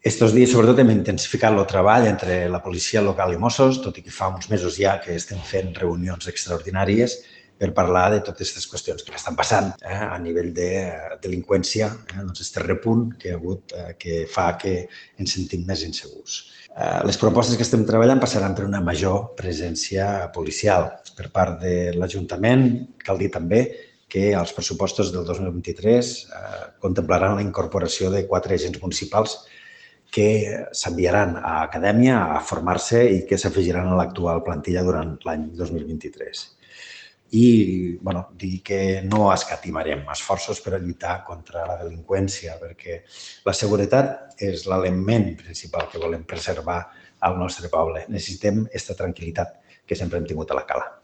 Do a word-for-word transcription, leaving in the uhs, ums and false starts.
Estos dies, sobretot, hem intensificat el treball entre la policia local i Mossos, tot i que fa uns mesos ja que estem fent reunions extraordinàries per parlar de totes aquestes qüestions que estan passant eh, a nivell de delinqüència, eh, doncs este repunt que hi ha hagut eh, que fa que ens sentim més insegurs. Eh, les propostes que estem treballant passaran per una major presència policial per part de l'Ajuntament. Cal dir també que els pressupostos del dos mil vint-i-tres eh, contemplaran la incorporació de quatre agents municipals que s'enviaran a acadèmia a formar-se i que s'afegiran a l'actual plantilla durant l'any dos mil vint-i-tres. I bueno, dir que no escatimarem esforços per a lluitar contra la delinqüència, perquè la seguretat és l'element principal que volem preservar al nostre poble. Necessitem aquesta tranquil·litat que sempre hem tingut a la cala.